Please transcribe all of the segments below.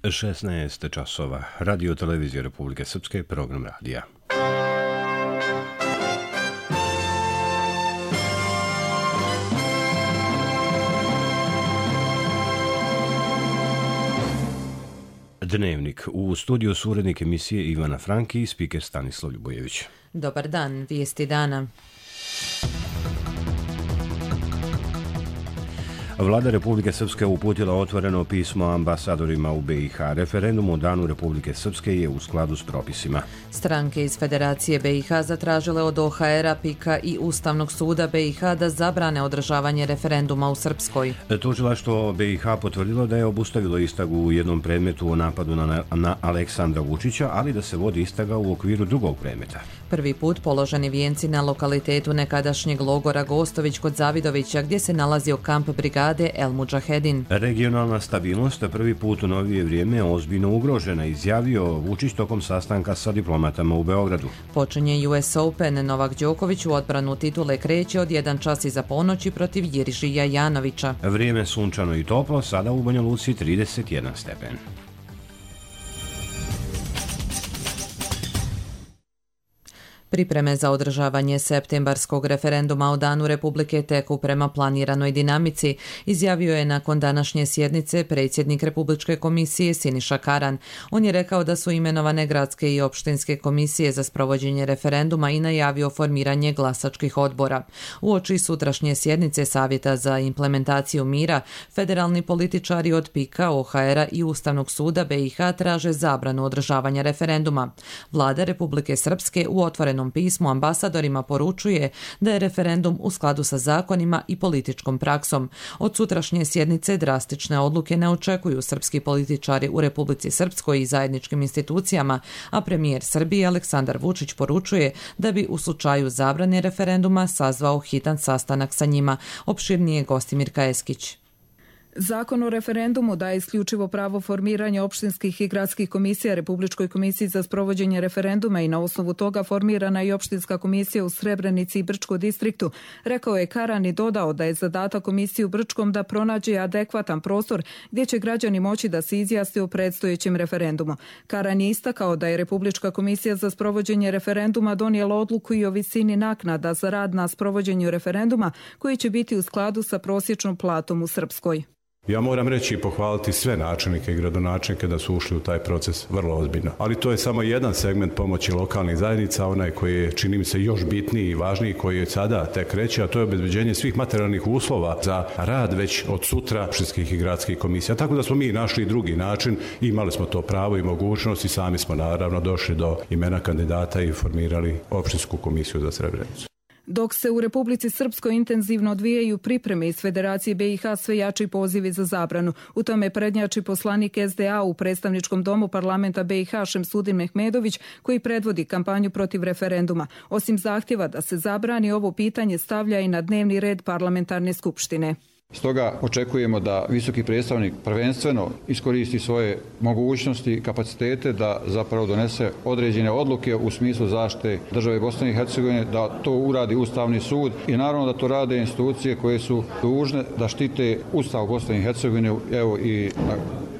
16 časova. Radio televizije Republike Srpske, program radija. Dnevnik. U studiju su urednik emisije Ivana Franki i spiker Stanislav Ljubojević. Dobar dan, vijesti dana. Vlada Republike Srpske uputila otvoreno pismo ambasadorima u BiH. Referendum o Danu Republike Srpske je u skladu s propisima. Stranke iz Federacije BiH zatražile od OHR-a, PIK-a i Ustavnog suda BiH da zabrane održavanje referenduma u Srpskoj. Tužilaštvo BiH potvrdilo da je obustavilo istragu u jednom predmetu o napadu na Aleksandra Vučića, ali da se vodi istraga u okviru drugog predmeta. Prvi put položeni vijenci na lokalitetu nekadašnjeg logora Gostović kod Zavidovića, gdje se nalazio kamp brigade El Mudžahedin. Regionalna stabilnost prvi put u novije vrijeme ozbiljno ugrožena, izjavio Vučić tokom sastanka sa diplomatama u Beogradu. Počinje US Open. Novak Đoković u odbranu titule kreće od 1 čas iza ponoći protiv Jirižija Janovića. Vrijeme sunčano i toplo, sada u Banja Luci 31 stepen. Pripreme za održavanje septembarskog referenduma o Danu Republike teku prema planiranoj dinamici, izjavio je nakon današnje sjednice predsjednik Republičke komisije Siniša Karan. On je rekao da su imenovane gradske i opštinske komisije za sprovođenje referenduma i najavio formiranje glasačkih odbora. Uoči sutrašnje sjednice Savjeta za implementaciju mira, federalni političari od PIK-a, OHR-a i Ustavnog suda BiH traže zabranu održavanja referenduma. Vlada Republike Srpske u otvorenom pismu ambasadorima poručuje da je referendum u skladu sa zakonima i političkom praksom. Od sutrašnje sjednice drastične odluke ne očekuju srpski političari u Republici Srpskoj i zajedničkim institucijama, a premijer Srbije Aleksandar Vučić poručuje da bi u slučaju zabrane referenduma sazvao hitan sastanak sa njima. Opširnije Gostimir Kajeskić. Zakon o referendumu daje isključivo pravo formiranja opštinskih i gradskih komisija Republičkoj komisiji za sprovođenje referenduma i na osnovu toga formirana i opštinska komisija u Srebrenici i Brčkom distriktu, rekao je Karan i dodao da je zadatak komisije u Brčkom da pronađe adekvatan prostor gdje će građani moći da se izjasne o predstojećem referendumu. Karan je istakao da je Republička komisija za sprovođenje referenduma donijela odluku i o visini naknada za rad na sprovođenju referenduma koji će biti u skladu sa prosječnom platom u Srpskoj. Ja moram reći i pohvaliti sve načelnike i gradonačelnike da su ušli u taj proces vrlo ozbiljno. Ali to je samo jedan segment pomoći lokalnih zajednica, onaj koji je, čini mi se, još bitniji i važniji, koji je sada tek kreće, a to je obezbeđenje svih materijalnih uslova za rad već od sutra opštinskih i gradskih komisija. Tako da smo mi našli drugi način, imali smo to pravo i mogućnost i sami smo naravno došli do imena kandidata i formirali opštinsku komisiju za Srebrenicu. Dok se u Republici Srpskoj intenzivno odvijaju pripreme iz Federacije BiH, sve jači pozivi za zabranu. U tome prednjači poslanik SDA u predstavničkom domu parlamenta BiH Šemsudin Mehmedović, koji predvodi kampanju protiv referenduma. Osim zahtjeva da se zabrani, ovo pitanje stavlja i na dnevni red parlamentarne skupštine. Stoga očekujemo da visoki predstavnik prvenstveno iskoristi svoje mogućnosti i kapacitete da zapravo donese određene odluke u smislu zaštite države Bosne i Hercegovine, da to uradi Ustavni sud i naravno da to rade institucije koje su dužne da štite Ustav Bosne i Hercegovine, evo i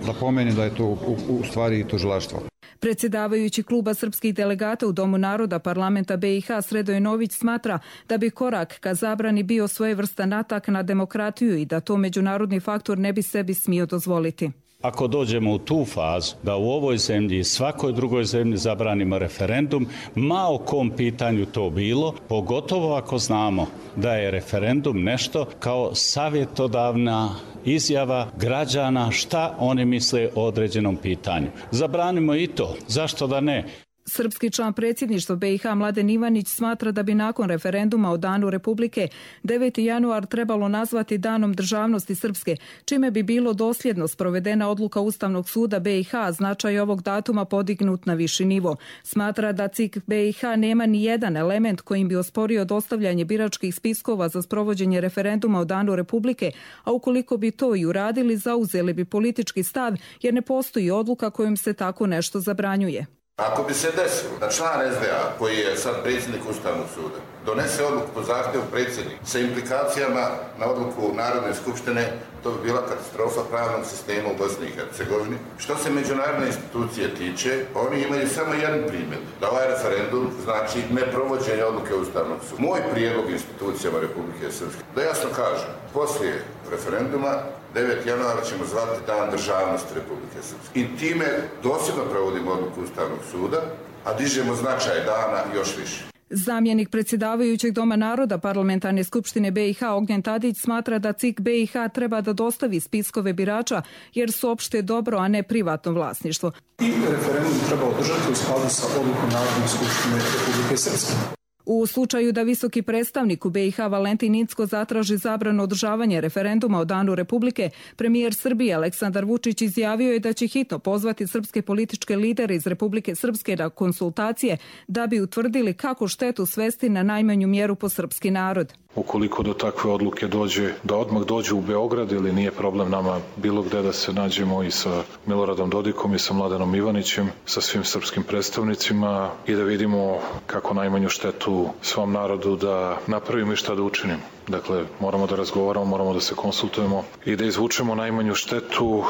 da pomenem da je to u stvari i tužilaštvo. Predsjedavajući kluba srpskih delegata u Domu naroda parlamenta BiH Sredoje Nović smatra da bi korak ka zabrani bio svojevrstan atak na demokratiju i da to međunarodni faktor ne bi sebi smio dozvoliti. Ako dođemo u tu fazu da u ovoj zemlji i svakoj drugoj zemlji zabranimo referendum, ma o kom pitanju to bilo, pogotovo ako znamo da je referendum nešto kao savjetodavna izjava građana šta oni misle o određenom pitanju. Zabranimo i to. Zašto da ne? Srpski član predsjedništva BiH Mladen Ivanić smatra da bi nakon referenduma o Danu Republike 9. januar trebalo nazvati Danom državnosti Srpske, čime bi bilo dosljedno sprovedena odluka Ustavnog suda BiH, značaj ovog datuma podignut na viši nivo. Smatra da CIK BiH nema ni jedan element kojim bi osporio dostavljanje biračkih spiskova za sprovođenje referenduma o Danu Republike, a ukoliko bi to i uradili, zauzeli bi politički stav jer ne postoji odluka kojom se tako nešto zabranjuje. Ako bi se desilo da član SDA, koji je sad predsjednik Ustavnog suda, donese odluku po zahtjevu predsjednika sa implikacijama na odluku Narodne skupštine, to bi bila katastrofa pravnog sistema u Bosni i Hercegovini. Što se međunarodne institucije tiče, oni imaju samo jedan primjer, da ovaj referendum znači neprovođenje odluke Ustavnog suda. Moj prijedlog institucijama Republike Srpske, da jasno kažem, poslije referenduma 9. januara ćemo zvati Dan državnosti Republike Srpske. I time dosljedno provodimo odluku Ustavnog suda, a dižemo značaj dana još više. Zamjenik predsjedavajućeg Doma naroda Parlamentarne skupštine BiH Ognjen Tadić smatra da CIK BiH treba da dostavi spiskove birača jer su opšte dobro, a ne privatno vlasništvo. I referendum treba održati u skladu sa odlukom Narodne skupštine Republike Srpske. U slučaju da visoki predstavnik u BiH Valentin Incko zatraži zabranu održavanja referenduma o Danu Republike, premijer Srbije Aleksandar Vučić izjavio je da će hitno pozvati srpske političke lidere iz Republike Srpske na konsultacije da bi utvrdili kako štetu svesti na najmanju mjeru po srpski narod. Ukoliko do takve odluke dođe, da odmah dođe u Beograd ili nije problem nama bilo gde da se nađemo i sa Miloradom Dodikom i sa Mladenom Ivanićem, sa svim srpskim predstavnicima i da vidimo kako najmanju štetu svom narodu da napravimo i šta da učinimo. Dakle, moramo da razgovaramo, moramo da se konsultujemo i da izvučemo najmanju štetu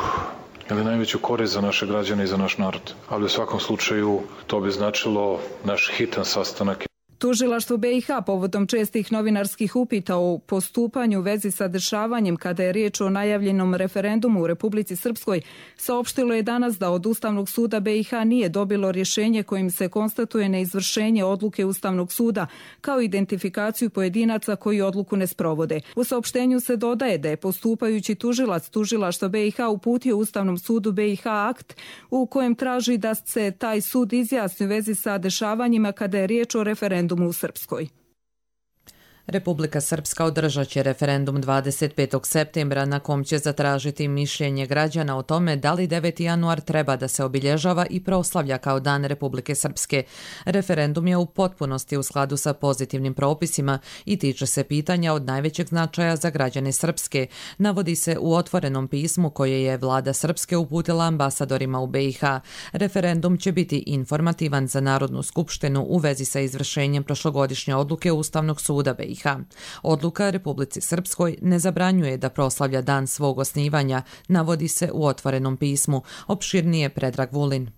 ili najveću korist za naše građane i za naš narod. Ali u svakom slučaju to bi značilo naš hitan sastanak. Tužilaštvo BiH povodom čestih novinarskih upita o postupanju u vezi sa dešavanjem kada je riječ o najavljenom referendumu u Republici Srpskoj saopštilo je danas da od Ustavnog suda BiH nije dobilo rješenje kojim se konstatuje neizvršenje odluke Ustavnog suda kao identifikaciju pojedinaca koji odluku ne sprovode. U saopštenju se dodaje da je postupajući tužilac Tužilaštva BiH uputio Ustavnom sudu BiH akt u kojem traži da se taj sud izjasni u vezi sa dešavanjima kada je riječ o referendumu u Srpskoj. Republika Srpska održat će referendum 25. septembra na kom će zatražiti mišljenje građana o tome da li 9. januar treba da se obilježava i proslavlja kao Dan Republike Srpske. Referendum je u potpunosti u skladu sa pozitivnim propisima i tiče se pitanja od najvećeg značaja za građane Srpske, navodi se u otvorenom pismu koje je vlada Srpske uputila ambasadorima u BiH. Referendum će biti informativan za Narodnu skupštinu u vezi sa izvršenjem prošlogodišnje odluke Ustavnog suda BiH. Odluka Republici Srpskoj ne zabranjuje da proslavlja dan svog osnivanja, navodi se u otvorenom pismu. Opširnije Predrag Vulin.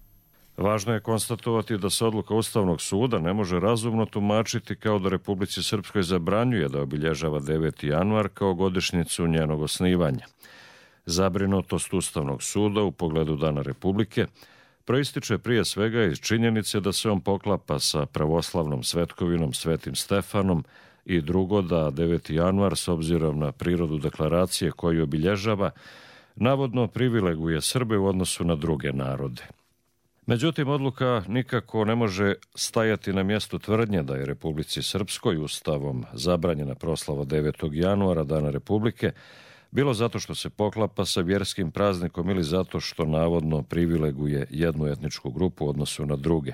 Važno je konstatovati da se odluka Ustavnog suda ne može razumno tumačiti kao da Republici Srpskoj zabranjuje da obilježava 9. januar kao godišnjicu njenog osnivanja. Zabrinutost Ustavnog suda u pogledu Dana Republike proističe prije svega iz činjenice da se on poklapa sa pravoslavnom svetkovinom Svetim Stefanom i drugo da 9. januar, s obzirom na prirodu deklaracije koju obilježava, navodno privileguje Srbe u odnosu na druge narode. Međutim, odluka nikako ne može stajati na mjestu tvrdnje da je Republici Srpskoj Ustavom zabranjena proslava 9. januara, Dana Republike, bilo zato što se poklapa sa vjerskim praznikom ili zato što navodno privileguje jednu etničku grupu u odnosu na druge.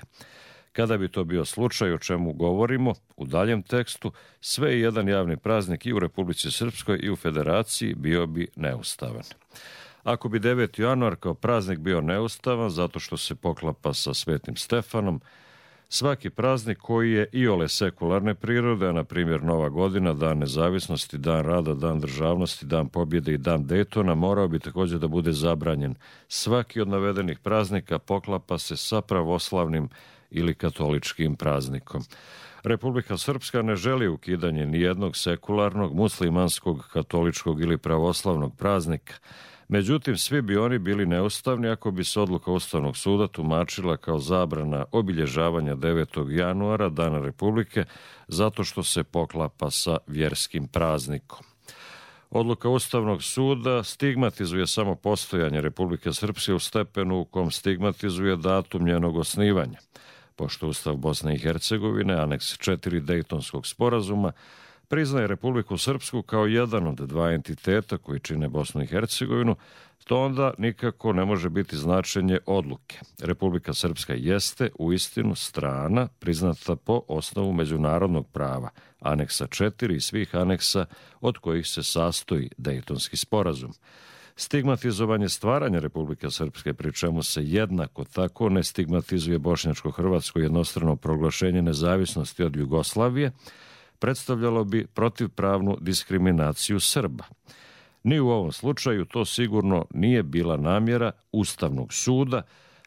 Kada bi to bio slučaj o čemu govorimo, u daljem tekstu, sve i jedan javni praznik i u Republici Srpskoj i u Federaciji bio bi neustavan. Ako bi 9. januar kao praznik bio neustavan zato što se poklapa sa Svetim Stefanom, svaki praznik koji je iole sekularne prirode, a na primjer Nova godina, Dan nezavisnosti, Dan rada, Dan državnosti, Dan pobjede i Dan Daytona, morao bi također da bude zabranjen. Svaki od navedenih praznika poklapa se sa pravoslavnim ili katoličkim praznikom. Republika Srpska ne želi ukidanje nijednog sekularnog, muslimanskog, katoličkog ili pravoslavnog praznika. Međutim, svi bi oni bili neustavni ako bi se odluka Ustavnog suda tumačila kao zabrana obilježavanja 9. januara, Dana Republike, zato što se poklapa sa vjerskim praznikom. Odluka Ustavnog suda stigmatizuje samo postojanje Republike Srpske u stepenu u kom stigmatizuje datum njenog osnivanja. Pošto Ustav Bosne i Hercegovine, aneks 4 Dejtonskog sporazuma, priznaje Republiku Srpsku kao jedan od dva entiteta koji čine Bosnu i Hercegovinu, to onda nikako ne može biti značenje odluke. Republika Srpska jeste uistinu strana priznata po osnovu međunarodnog prava, aneksa 4 i svih aneksa od kojih se sastoji Dejtonski sporazum. Stigmatizovanje stvaranja Republike Srpske, pri čemu se jednako tako ne stigmatizuje bošnjačko-hrvatsko jednostrano proglašenje nezavisnosti od Jugoslavije, predstavljalo bi protivpravnu diskriminaciju Srba. Ni u ovom slučaju to sigurno nije bila namjera Ustavnog suda,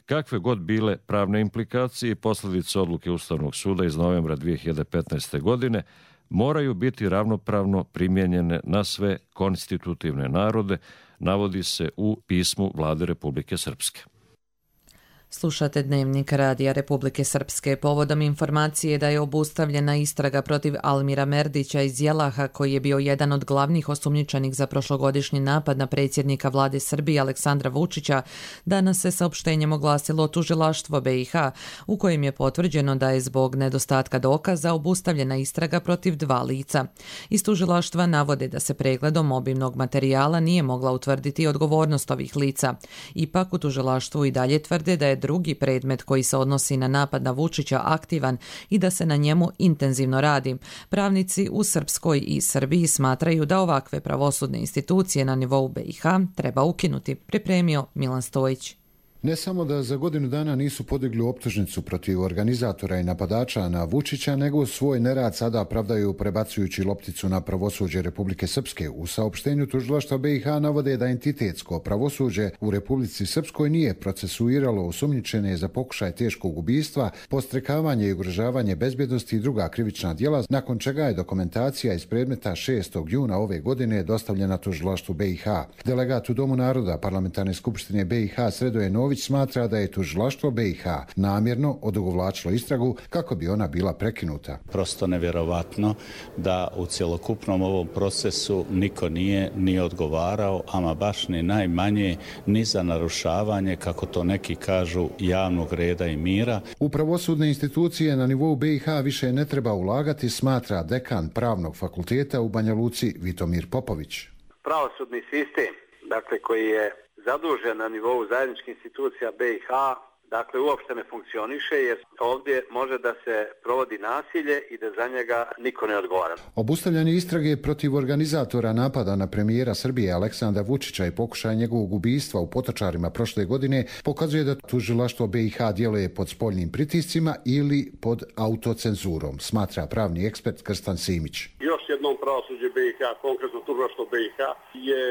kakve god bile pravne implikacije i posljedice odluke Ustavnog suda iz novembra 2015. godine moraju biti ravnopravno primijenjene na sve konstitutivne narode, navodi se u pismu Vlade Republike Srpske. Slušate Dnevnik Radija Republike Srpske. Povodom informacije da je obustavljena istraga protiv Almira Merdića iz Jelaha, koji je bio jedan od glavnih osumnjičenih za prošlogodišnji napad na predsjednika vlade Srbije Aleksandra Vučića, danas se saopštenjem oglasilo tužilaštvo BiH, u kojem je potvrđeno da je zbog nedostatka dokaza obustavljena istraga protiv 2 lica. Iz tužilaštva navode da se pregledom obimnog materijala nije mogla utvrditi odgovornost ovih lica. Ipak u tužilaštvu i dalje tvrde da je drugi predmet koji se odnosi na napad na Vučića aktivan i da se na njemu intenzivno radi. Pravnici u Srpskoj i Srbiji smatraju da ovakve pravosudne institucije na nivou BiH treba ukinuti, pripremio Milan Stojić. Ne samo da za godinu dana nisu podigli optužnicu protiv organizatora i napadača na Vučića, nego svoj nerad sada pravdaju prebacujući lopticu na pravosuđe Republike Srpske. U saopštenju tužilaštva BiH navode da entitetsko pravosuđe u Republici Srpskoj nije procesuiralo osumnjičene za pokušaj teškog ubistva, podstrekavanje i ugrožavanje bezbjednosti i druga krivična djela, nakon čega je dokumentacija iz predmeta 6. juna ove godine dostavljena tužilaštvu BiH. Delegat u Domu naroda Parlamentarne skupštine BiH Sredoje Nović smatra da je tužilaštvo BiH namjerno odugovlačilo istragu kako bi ona bila prekinuta. Prosto nevjerovatno da u cjelokupnom ovom procesu niko nije ni odgovarao, ama baš ni najmanje ni za narušavanje, kako to neki kažu, javnog reda i mira. U pravosudne institucije na nivou BiH više ne treba ulagati, smatra dekan Pravnog fakulteta u Banja Luci Vitomir Popović. Pravosudni sistem, dakle, koji je zadužen na nivou zajedničkih institucija BiH, dakle uopšte ne funkcioniše jer ovdje može da se provodi nasilje i da za njega niko ne odgovara. Obustavljanje istrage protiv organizatora napada na premijera Srbije Aleksandra Vučića i pokušaj njegovog ubistva u Potočarima prošle godine pokazuje da tužilaštvo BiH djeluje pod spoljnim pritiscima ili pod autocenzurom, smatra pravni ekspert Krstan Simić. Još jednom pravosuđe BiH, konkretno tužilaštvo BiH, je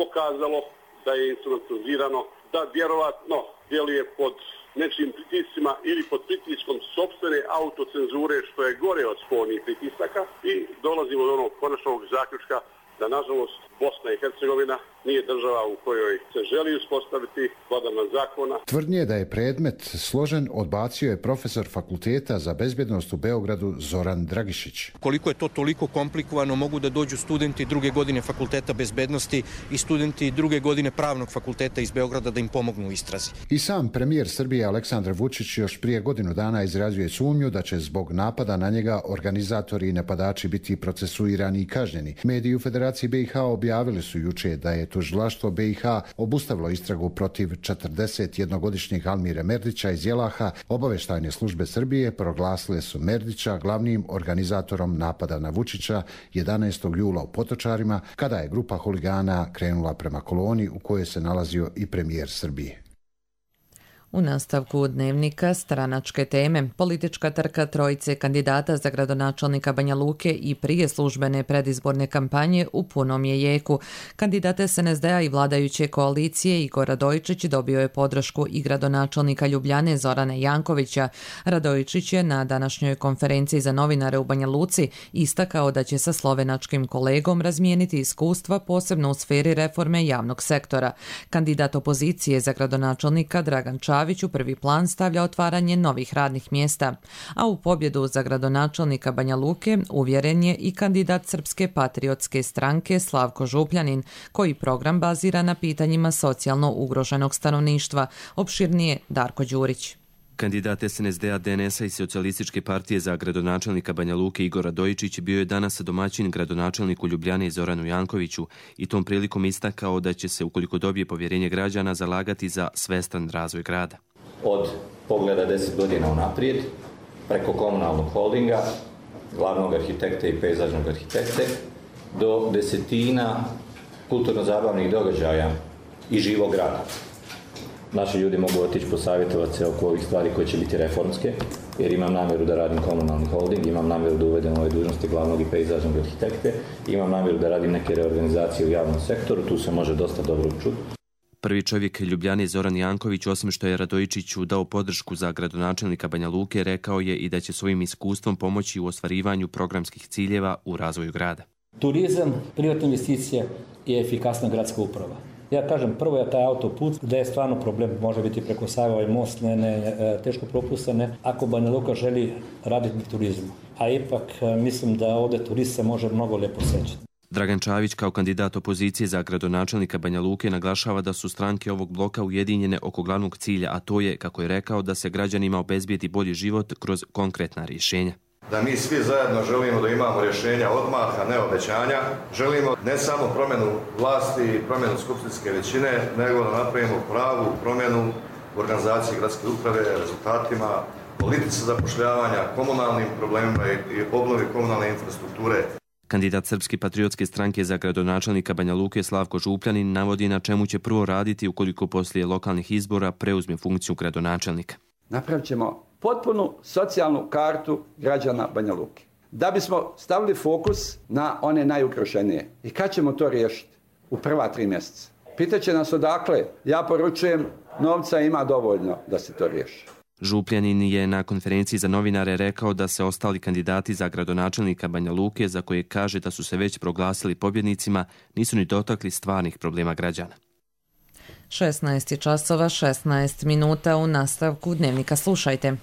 pokazalo da je instrumentalizirano, da vjerovatno djeluje pod nečijim pritiscima ili pod pritiskom sopstvene autocenzure, što je gore od spoljnih pritisaka, i dolazimo do onog konačnog zaključka da, nažalost, Bosna i Hercegovina nije država u kojoj se želi uspostaviti vladavina zakona. Tvrdnje da je predmet složen odbacio je profesor fakulteta za bezbjednost u Beogradu Zoran Dragišić. Koliko je to toliko komplikovano, mogu da dođu studenti druge godine fakulteta bezbednosti i studenti druge godine pravnog fakulteta iz Beograda da im pomognu u istrazi. I sam premijer Srbije Aleksandar Vučić još prije godinu dana izrazio je sumnju da će zbog napada na njega organizatori i napadači biti procesuirani i kažnjeni. Mediji u Federaciji BiH objavili su juče da je tužilaštvo BiH obustavilo istragu protiv 41-godišnjeg Almira Merdića iz Jelaha. Obavještajne službe Srbije proglasile su Merdića glavnim organizatorom napada na Vučića 11. jula u Potočarima, kada je grupa huligana krenula prema koloni u kojoj se nalazio i premijer Srbije. U nastavku Dnevnika stranačke teme. Politička trka trojice kandidata za gradonačelnika Banja Luke i prije službene predizborne kampanje u punom je jeku. Kandidat SNSD-a i vladajuće koalicije Igor Radojičić dobio je podršku i gradonačelnika Ljubljane Zorane Jankovića. Radojičić je na današnjoj konferenciji za novinare u Banja Luci istakao da će sa slovenačkim kolegom razmijeniti iskustva posebno u sferi reforme javnog sektora. Kandidat opozicije za gradonačelnika Dragan Čavić u prvi plan stavlja otvaranje novih radnih mjesta, a u pobjedu za gradonačelnika Banja Luke uvjeren je i kandidat Srpske patriotske stranke Slavko Župljanin, koji program bazira na pitanjima socijalno ugroženog stanovništva. Opširnije Darko Đurić. Kandidat SNSD-a, DNS-a i Socijalističke partije za gradonačelnika Banja Luke Igor Radojičić bio je danas domaćin gradonačelniku Ljubljane Zoranu Jankoviću i tom prilikom istakao da će se, ukoliko dobije povjerenje građana, zalagati za svestan razvoj grada. Od pogleda 10 godina unaprijed, preko komunalnog holdinga, glavnog arhitekte i pejzažnog arhitekte, do desetina kulturno-zabavnih događaja i živog grada. Naši ljudi mogu otići posavjetovati se oko ovih stvari koje će biti reformske jer imam namjeru da radim komunalni holding, imam namjeru da uvedem ove dužnosti glavnog i pejzažnog arhitekte, imam namjeru da radim neke reorganizacije u javnom sektoru, tu se može dosta dobro čuti. Prvi čovjek Ljubljane Zoran Janković, osim što je Radojičiću dao podršku za gradonačelnika Banja Luke, rekao je i da će svojim iskustvom pomoći u ostvarivanju programskih ciljeva u razvoju grada. Turizam, privatna investicija i efikasna gradska uprava. Ja kažem, prvo je taj autoput, gdje je stvarno problem, može biti preko Save, ovaj most, teško propustane, ako Banja Luka želi raditi na turizmu. A ipak mislim da ovdje turist se može mnogo lijepo sećati. Dragan Čavić kao kandidat opozicije za gradonačelnika Banja Luke naglašava da su stranke ovog bloka ujedinjene oko glavnog cilja, a to je, kako je rekao, da se građanima obezbijedi bolji život kroz konkretna rješenja. Da mi svi zajedno želimo da imamo rješenja odmah, a ne obećanja. Želimo ne samo promjenu vlasti i promjenu skupštinske većine, nego da napravimo pravu promjenu u organizaciji gradske uprave, rezultatima, politici zapošljavanja, komunalnim problemima i obnovi komunalne infrastrukture. Kandidat Srpske patriotske stranke za gradonačelnika Banja Luke Slavko Župljanin navodi na čemu će prvo raditi ukoliko poslije lokalnih izbora preuzme funkciju gradonačelnika. Napravit ćemo potpunu socijalnu kartu građana Banja Luke. Da bismo stavili fokus na one najugroženije. I kad ćemo to riješiti? U prva 3 mjeseca. Pitaće nas odakle. Ja poručujem, novca ima dovoljno da se to riješi. Župljanin je na konferenciji za novinare rekao da se ostali kandidati za gradonačelnika Banja Luke, za koje kaže da su se već proglasili pobjednicima, nisu ni dotakli stvarnih problema građana. 16 časova, 16 minuta u nastavku Dnevnika slušajte.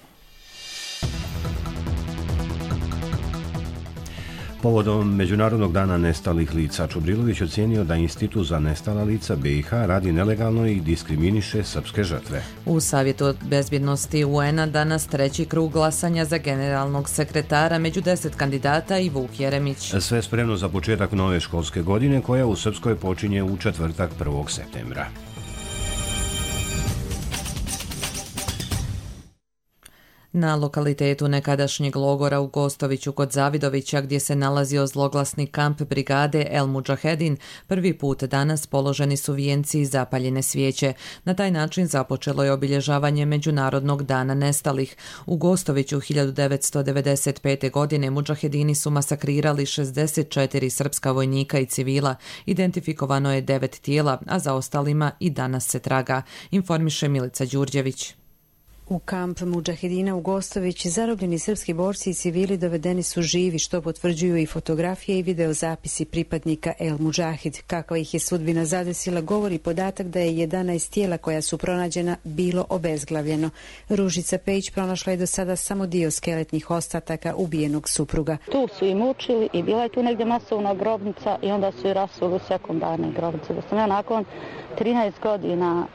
Povodom Međunarodnog dana nestalih lica, Čubrilović ocijenio da Institut za nestala lica BiH radi nelegalno i diskriminiše srpske žrtve. U Savjetu bezbjednosti UN-a danas treći krug glasanja za generalnog sekretara, među 10 kandidata i Vuk Jeremić. Sve spremno za početak nove školske godine koja u Srpskoj počinje u četvrtak 1. septembra. Na lokalitetu nekadašnjeg logora u Gostoviću kod Zavidovića, gdje se nalazio zloglasni kamp brigade El Mudžahedin, prvi put danas položeni su vijenci i zapaljene svijeće. Na taj način započelo je obilježavanje Međunarodnog dana nestalih. U Gostoviću 1995. godine Mudžahedini su masakrirali 64 srpska vojnika i civila. Identifikovano je 9 tijela, a za ostalima i danas se traga, informiše Milica Đurđević. U kamp Mudžahedina u Gostović zarobljeni srpski borci i civili dovedeni su živi, što potvrđuju i fotografije i videozapisi pripadnika El Mudžahid. Kakva ih je sudbina zadesila govori podatak da je 11 tijela koja su pronađena bilo obezglavljeno. Ružica Pejić pronašla je do sada samo dio skeletnih ostataka ubijenog supruga. Tu su i mučili i bila je tu negdje masovna grobnica i onda su i rasuli u sekundarne grobnice. Da sam ja nakon 13 godina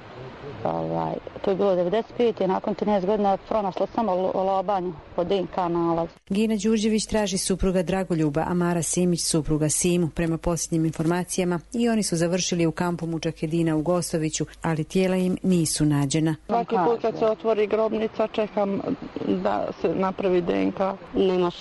to je bilo 95. i nakon 13 godina pronašla samo lobanju po DNK nalaz. Gina Đurđević traži supruga Dragoljuba, a Mara Simić supruga Simu. Prema posljednjim informacijama i oni su završili u kampu Mudžahedina u Gostoviću, ali tijela im nisu nađena. Svaki put kad se otvori grobnica čekam da se napravi DNK. Nemaš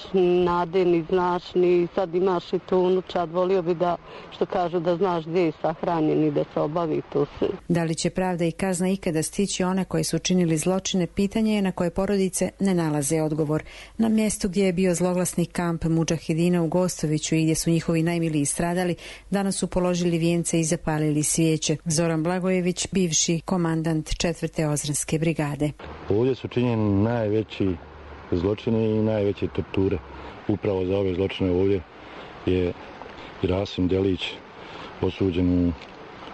nade, ni znaš, ni sad imaš i tu unučad. Volio bi da, što kažu, da znaš gdje je sahranjen i da se obavi to sve. Da li će pravda i kazna ikada stići one koji su činili zločine, pitanje je na koje porodice ne nalaze odgovor. Na mjestu gdje je bio zloglasni kamp Mudžahedina u Gostoviću i gdje su njihovi najmiliji stradali, danas su položili vijence i zapalili svijeće. Zoran Blagojević, bivši komandant 4. Ozranske brigade. Ovdje su činjeni najveći zločini i najveće torture. Upravo za ove zločine ovdje je i Rasim Delić osuđen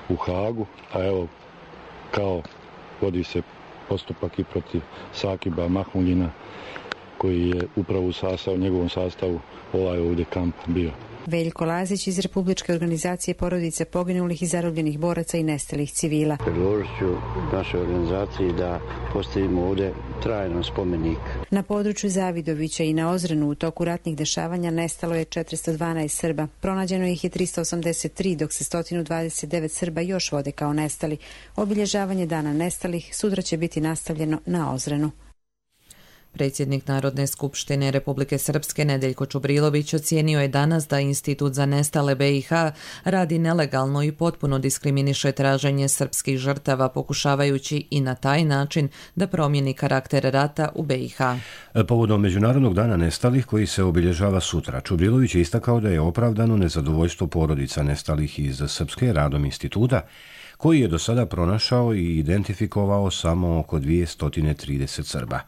u Hagu, a evo kao vodi se postupak i protiv Sakiba Mahmuljina, koji je upravo u njegovom sastavu ovaj ovdje kamp bio. Veljko Lazić iz Republičke organizacije porodice poginulih i zarobljenih boraca i nestalih civila. Predložit ću našoj organizaciji da postavimo ovdje trajno spomenik. Na području Zavidovića i na Ozrenu u toku ratnih dešavanja nestalo je 412 Srba. Pronađeno ih je 383, dok se 129 Srba još vode kao nestali. Obilježavanje dana nestalih sutra će biti nastavljeno na Ozrenu. Predsjednik Narodne skupštine Republike Srpske Nedeljko Čubrilović ocijenio je danas da Institut za nestale BiH radi nelegalno i potpuno diskriminiše traženje srpskih žrtava, pokušavajući i na taj način da promijeni karakter rata u BiH. Povodom Međunarodnog dana nestalih koji se obilježava sutra, Čubrilović je istakao da je opravdano nezadovoljstvo porodica nestalih iz Srpske radom instituta, koji je do sada pronašao i identifikovao samo oko 230 Srba.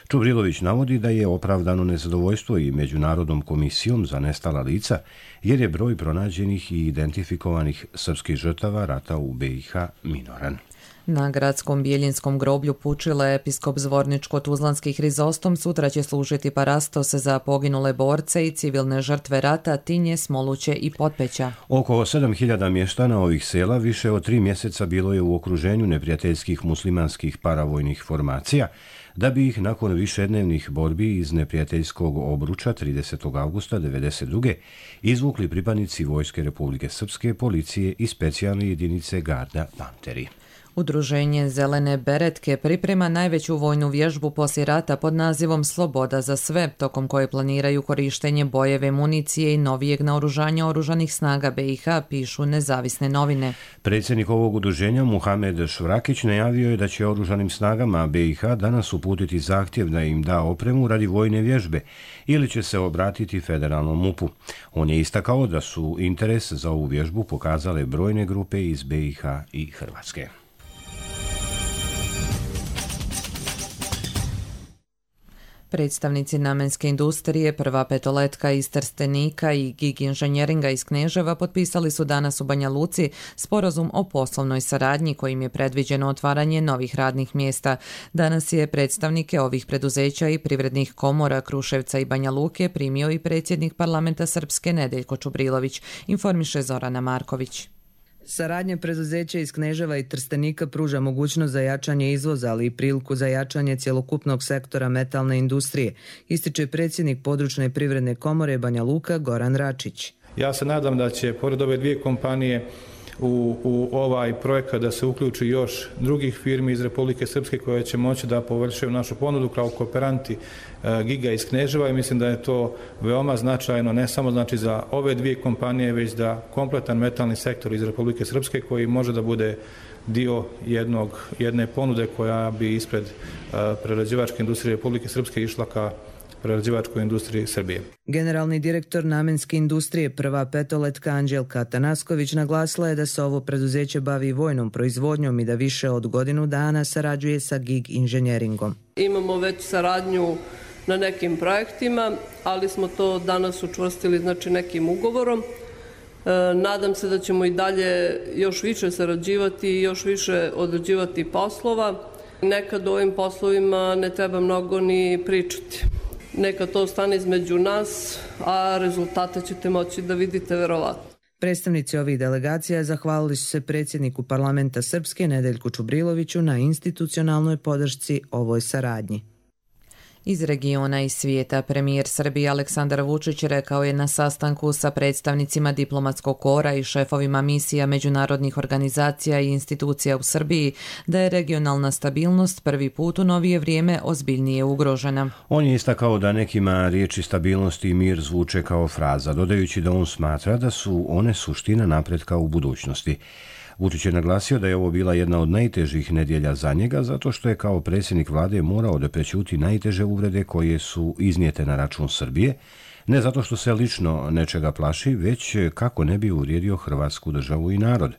Čubrilović navodi da je opravdano nezadovoljstvo i Međunarodnom komisijom za nestala lica, jer je broj pronađenih i identifikovanih srpskih žrtava rata u BiH minoran. Na gradskom Bijeljinskom groblju Pučile episkop Zvorničko-Tuzlanski Hrizostom sutra će služiti parastos za poginule borce i civilne žrtve rata Tinje, Smoluće i Potpeća. Oko 7.000 mještana ovih sela više od 3 mjeseca bilo je u okruženju neprijateljskih muslimanskih paravojnih formacija, da bi ih nakon višednevnih borbi iz neprijateljskog obruča 30. augusta 1992. izvukli pripadnici Vojske Republike Srpske, policije i specijalne jedinice Garda Panteri. Udruženje Zelene beretke priprema najveću vojnu vježbu poslije rata pod nazivom Sloboda za sve, tokom koje planiraju korištenje bojeve municije i novijeg naoružanja oružanih snaga BiH, pišu nezavisne novine. Predsjednik ovog udruženja Muhamed Švrakić najavio je da će oružanim snagama BiH danas uputiti zahtjev da im da opremu radi vojne vježbe ili će se obratiti federalnom MUP-u. On je istakao da su interes za ovu vježbu pokazale brojne grupe iz BiH i Hrvatske. Predstavnici namenske industrije, Prva petoletka iz Trstenika i Gig inženjeringa iz Kneževa potpisali su danas u Banja Luci sporazum o poslovnoj saradnji kojim je predviđeno otvaranje novih radnih mjesta. Danas je predstavnike ovih preduzeća i privrednih komora Kruševca i Banja Luke primio i predsjednik parlamenta Srpske Nedeljko Čubrilović, informiše Zorana Marković. Saradnja preduzeća iz Kneževa i Trstenika pruža mogućnost za jačanje izvoza, ali i priliku za jačanje cjelokupnog sektora metalne industrije, ističe predsjednik područne privredne komore Banja Luka Goran Račić. Ja se nadam da će, pored ove dvije kompanije, u ovaj projekat da se uključi još drugih firmi iz Republike Srpske koje će moći da površaju našu ponudu kao kooperanti Giga iz Kneževa i mislim da je to veoma značajno, ne samo znači za ove dvije kompanije, već da kompletan metalni sektor iz Republike Srpske koji može da bude dio jedne ponude koja bi ispred prerađivačke industrije Republike Srpske išla ka prerađivačkoj industriji Srbije. Generalni direktor namenske industrije Prva petoletka Anđelka Tanasković naglasila je da se ovo preduzeće bavi vojnom proizvodnjom i da više od godinu dana sarađuje sa Gig inženjeringom. Imamo već saradnju na nekim projektima, ali smo to danas učvrstili nekim ugovorom. Nadam se da ćemo i dalje još više sarađivati i još više odrađivati poslova. Nekad o ovim poslovima ne treba mnogo ni pričati. Neka to stane između nas, a rezultate ćete moći da vidite verovatno. Predstavnici ovih delegacija zahvalili su se predsjedniku parlamenta Srpske Nedeljku Čubriloviću na institucionalnoj podršci ovoj saradnji. Iz regiona i svijeta premijer Srbije Aleksandar Vučić rekao je na sastanku sa predstavnicima diplomatskog kora i šefovima misija međunarodnih organizacija i institucija u Srbiji da je regionalna stabilnost prvi put u novije vrijeme ozbiljnije ugrožena. On je istakao da nekima riječi stabilnost i mir zvuče kao fraza, dodajući da on smatra da su one suština napretka u budućnosti. Vučić je naglasio da je ovo bila jedna od najtežih nedjelja za njega, zato što je kao predsjednik vlade morao da prećuti najteže uvrede koje su iznijete na račun Srbije, ne zato što se lično nečega plaši, već kako ne bi uvrijedio Hrvatsku državu i narod.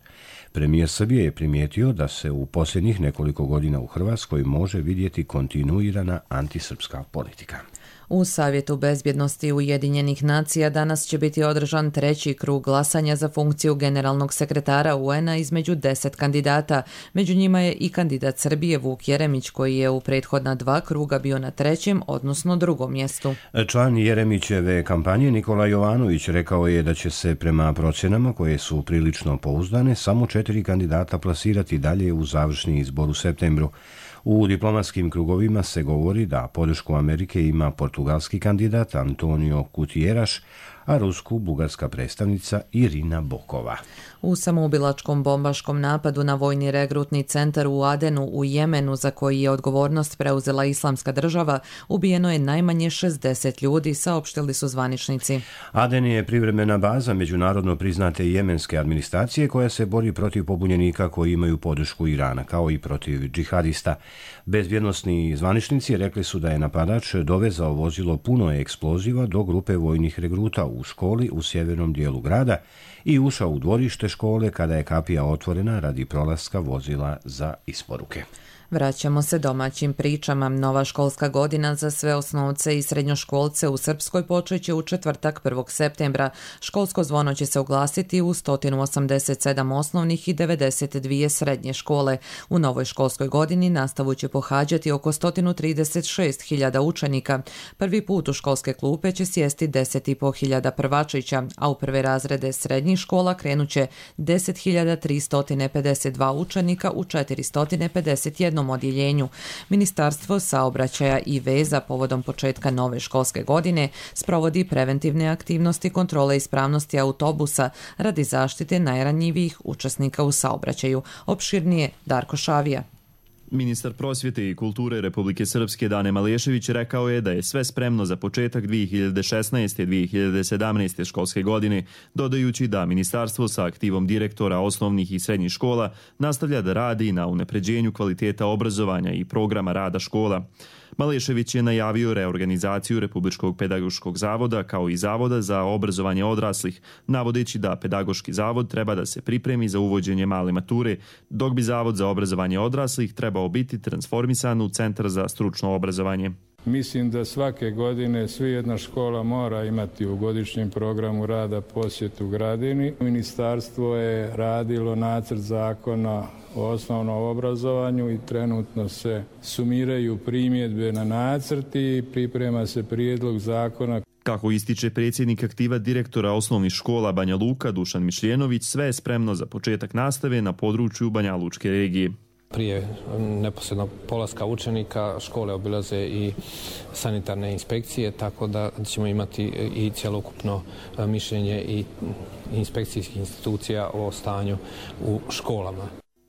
Premijer Srbije je primijetio da se u posljednjih nekoliko godina u Hrvatskoj može vidjeti kontinuirana antisrpska politika. U Savjetu bezbjednosti Ujedinjenih nacija danas će biti održan treći krug glasanja za funkciju generalnog sekretara UN-a između 10 kandidata. Među njima je i kandidat Srbije Vuk Jeremić koji je u prethodna 2 kruga bio na trećem, odnosno drugom mjestu. Član Jeremićeve kampanje Nikola Jovanović rekao je da će se prema procjenama koje su prilično pouzdane samo 4 kandidata plasirati dalje u završni izbor u septembru. U diplomatskim krugovima se govori da podršku Amerike ima portugalski kandidat Antonio Gutierrez, a rusko-bugarska predstavnica Irina Bokova. U samoubilačkom bombaškom napadu na vojni regrutni centar u Adenu u Jemenu, za koji je odgovornost preuzela Islamska država, ubijeno je najmanje 60 ljudi, saopštili su zvaničnici. Aden je privremena baza međunarodno priznate jemenske administracije koja se bori protiv pobunjenika koji imaju podršku Irana, kao i protiv džihadista. Bezbjednosni zvaničnici rekli su da je napadač dovezao vozilo puno eksploziva do grupe vojnih regruta u školi u sjevernom dijelu grada i ušao u dvorište škole kada je kapija otvorena radi prolaska vozila za isporuke. Vraćamo se domaćim pričama. Nova školska godina za sve osnovce i srednjoškolce u Srpskoj počeće u četvrtak 1. septembra. Školsko zvono će se oglasiti u 187 osnovnih i 92 srednje škole. U novoj školskoj godini nastavu će pohađati oko 136.000 učenika. Prvi put u školske klupe će sjesti 10.500 prvačića, a u prve razrede srednjih škola krenuće 10.352 učenika u 451 odjeljenju. Ministarstvo saobraćaja i veza povodom početka nove školske godine sprovodi preventivne aktivnosti kontrole ispravnosti autobusa radi zaštite najranjivijih učesnika u saobraćaju. Opširnije Darko Šavija. Ministar prosvjete i kulture Republike Srpske Dane Malešević rekao je da je sve spremno za početak 2016. 2017. školske godine, dodajući da ministarstvo sa aktivom direktora osnovnih i srednjih škola nastavlja da radi na unapređenju kvaliteta obrazovanja i programa rada škola. Malešević je najavio reorganizaciju Republičkog pedagoškog zavoda kao i Zavoda za obrazovanje odraslih, navodeći da pedagoški zavod treba da se pripremi za uvođenje male mature, dok bi Zavod za obrazovanje odraslih trebao biti transformisan u Centar za stručno obrazovanje. Mislim da svake godine jedna škola mora imati u godišnjem programu rada posjetu gradini. Ministarstvo je radilo nacrt zakona o osnovnom obrazovanju i trenutno se sumiraju primjedbe na nacrt i priprema se prijedlog zakona. Kako ističe predsjednik aktiva direktora osnovnih škola Banja Luka Dušan Mišljenović, sve je spremno za početak nastave na području Banja Lučke regije. Prije neposrednog polaska učenika škole obilaze i sanitarne inspekcije, tako da ćemo imati i cjelokupno mišljenje i inspekcijskih institucija o stanju u školama.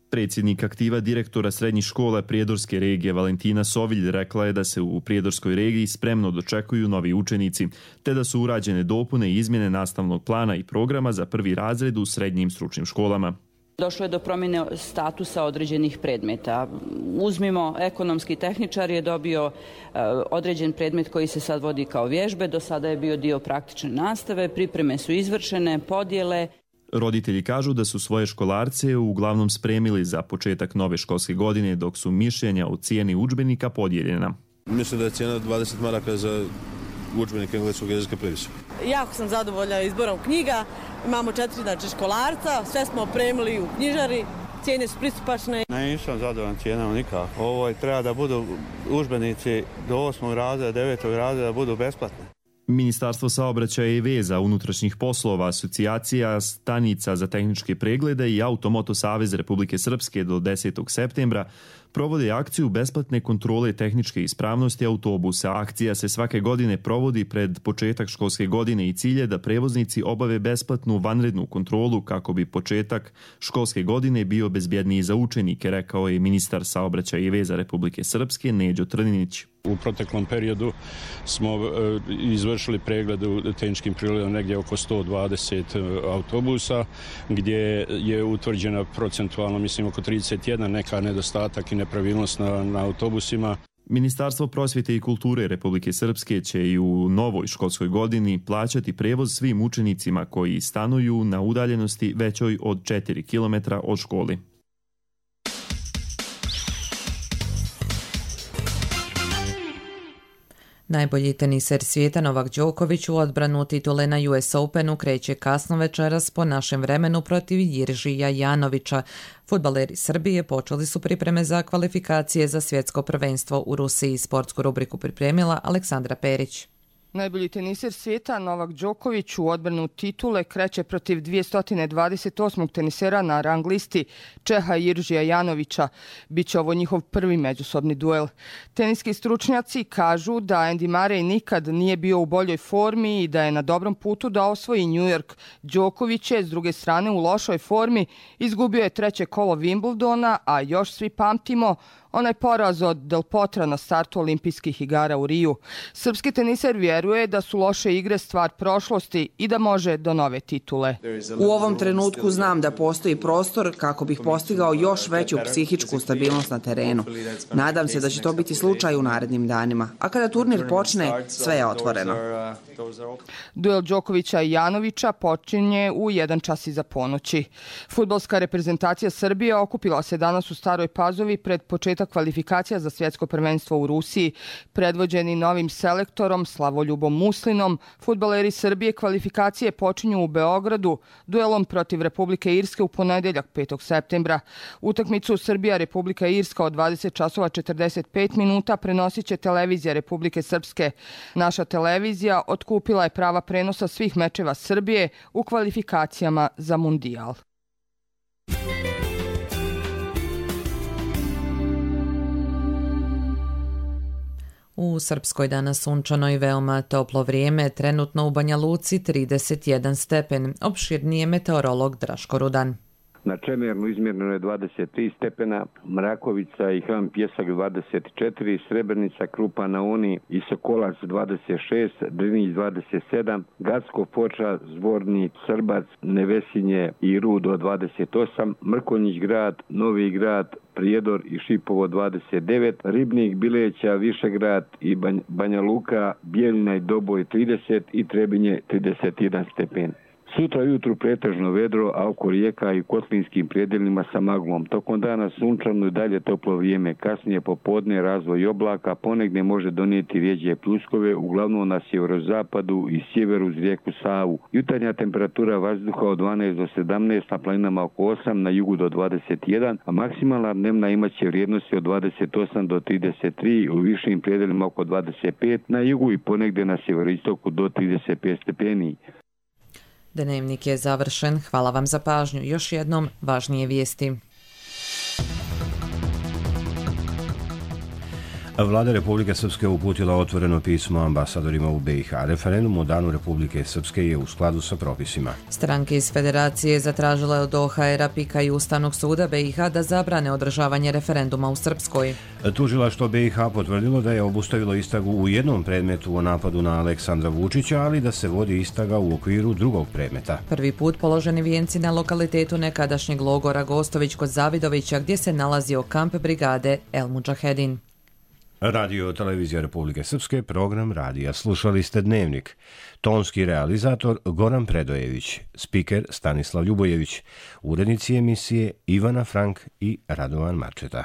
Predsjednik aktiva direktora srednjih škola Prijedorske regije Valentina Sovilj rekla je da se u Prijedorskoj regiji spremno dočekuju novi učenici, te da su urađene dopune i izmjene nastavnog plana i programa za prvi razred u srednjim stručnim školama. Došlo je do promjene statusa određenih predmeta. Uzmimo, ekonomski tehničar je dobio određen predmet koji se sad vodi kao vježbe, do sada je bio dio praktične nastave, pripreme su izvršene, podjele. Roditelji kažu da su svoje školarce uglavnom spremili za početak nove školske godine, dok su mišljenja o cijeni udžbenika podijeljena. Mislim da je cijena 20 maraka za udžbenik engleskog jezika previsoka. Jako sam zadovoljna izborom knjiga. Imamo 4 školarca, sve smo opremili u knjižari, cijene su pristupačne. Nisam zadovoljan cijenama nikako. Ovo treba da budu udžbenici do 8. razreda, 9. razreda da budu besplatni. Ministarstvo saobraćaja i veza, unutrašnjih poslova, asocijacija stanica za tehničke preglede i Automoto Savez Republike Srpske do 10. septembra provode akciju besplatne kontrole tehničke ispravnosti autobusa. Akcija se svake godine provodi pred početak školske godine i cilj je da prevoznici obave besplatnu vanrednu kontrolu kako bi početak školske godine bio bezbjedniji za učenike, rekao je ministar saobraćaja i veza Republike Srpske Neđo Trninić. U proteklom periodu smo izvršili pregled u tehničkim pregledima negdje oko 120 autobusa, gdje je utvrđena procentualno, mislim, oko 31 neka nedostatak i nepravilnost na autobusima. Ministarstvo prosvjete i kulture Republike Srpske će i u novoj školskoj godini plaćati prevoz svim učenicima koji stanuju na udaljenosti većoj od 4 km od školi. Najbolji teniser svijeta Novak Đoković u odbranu titule na US Openu kreće kasno večeras po našem vremenu protiv Jiržija Janovića. Fudbaleri Srbije počeli su pripreme za kvalifikacije za svjetsko prvenstvo u Rusiji. Sportsku rubriku pripremila Aleksandra Perić. Najbolji teniser svijeta Novak Đoković u odbranu titule kreće protiv 228. tenisera na rang listi Čeha Jiržija Janovića. Biće ovo njihov prvi međusobni duel. Teniski stručnjaci kažu da Andy Murray nikad nije bio u boljoj formi i da je na dobrom putu da osvoji New York. Đoković je s druge strane u lošoj formi, izgubio je treće kolo Wimbledona, a još svi pamtimo onaj poraz od Del Potra na startu olimpijskih igara u Riju. Srpski teniser vjeruje da su loše igre stvar prošlosti i da može do nove titule. U ovom trenutku znam da postoji prostor kako bih postigao još veću psihičku stabilnost na terenu. Nadam se da će to biti slučaj u narednim danima. A kada turnir počne, sve je otvoreno. Duel Đokovića i Janovića počinje u 1 čas iza ponoći. Fudbalska reprezentacija Srbije okupila se danas u Staroj Pazovi pred početak kvalifikacija za svjetsko prvenstvo u Rusiji. Predvođeni novim selektorom Slavoljubom Muslinom, fudbaleri Srbije kvalifikacije počinju u Beogradu duelom protiv Republike Irske u ponedjeljak 5. septembra. Utakmicu Srbija-Republika Irska od 20 časova 45 minuta prenosit će televizija Republike Srpske. Naša televizija otkupila je prava prenosa svih mečeva Srbije u kvalifikacijama za Mundijal. U Srpskoj danas sunčano i veoma toplo vrijeme, trenutno u Banja Luci 31 stepen, opširnije meteorolog Draško Rudan. Na Čemernu izmjereno je 23 stepena, Mrakovica i Hram Pjesak 24, Srebrenica, Krupa na Uni i Sokolac 26, Drinić 27, Gacko, Foča, Zvornik, Srbac, Nevesinje i Rudo 28, Mrkonjić grad, Novi grad, Prijedor i Šipovo 29, Ribnik, Bileća, Višegrad i Banja Luka, Bijeljina i Doboj 30 i Trebinje 31 stepen. Sutra jutru pretežno vedro, a oko rijeka i u kotlinskim predjelima sa maglom. Tokom dana sunčano i dalje toplo vrijeme. Kasnije popodne razvoj oblaka, ponegdje može donijeti rjeđe pljuskove, uglavnom na sjeverozapadu i sjeveru uz rijeku Savu. Jutarnja temperatura vazduha od 12 do 17, na planinama oko 8, na jugu do 21, a maksimalna dnevna imaće vrijednosti od 28 do 33, u višim predjelima oko 25, na jugu i ponegdje na sjeveroistoku do 35 stepeni. Dnevnik je završen. Hvala vam za pažnju. Još jednom važnije vijesti. Vlada Republike Srpske uputila otvoreno pismo ambasadorima u BiH. Referendum o Danu Republike Srpske je u skladu sa propisima. Stranke iz Federacije zatražile od OHR-a, PIK-a i Ustavnog suda BiH da zabrane održavanje referenduma u Srpskoj. Tužilaštvo BiH potvrdilo da je obustavilo istragu u jednom predmetu o napadu na Aleksandra Vučića, ali da se vodi istraga u okviru drugog predmeta. Prvi put položeni vijenci na lokalitetu nekadašnjeg logora Gostović kod Zavidovića, gdje se nalazio kamp brigade El Mudžahedin. Radio Televizija Republike Srpske, program radija. Slušali ste Dnevnik. Tonski realizator Goran Predojević, spiker Stanislav Ljubojević, urednici emisije Ivana Frank i Radovan Marčeta.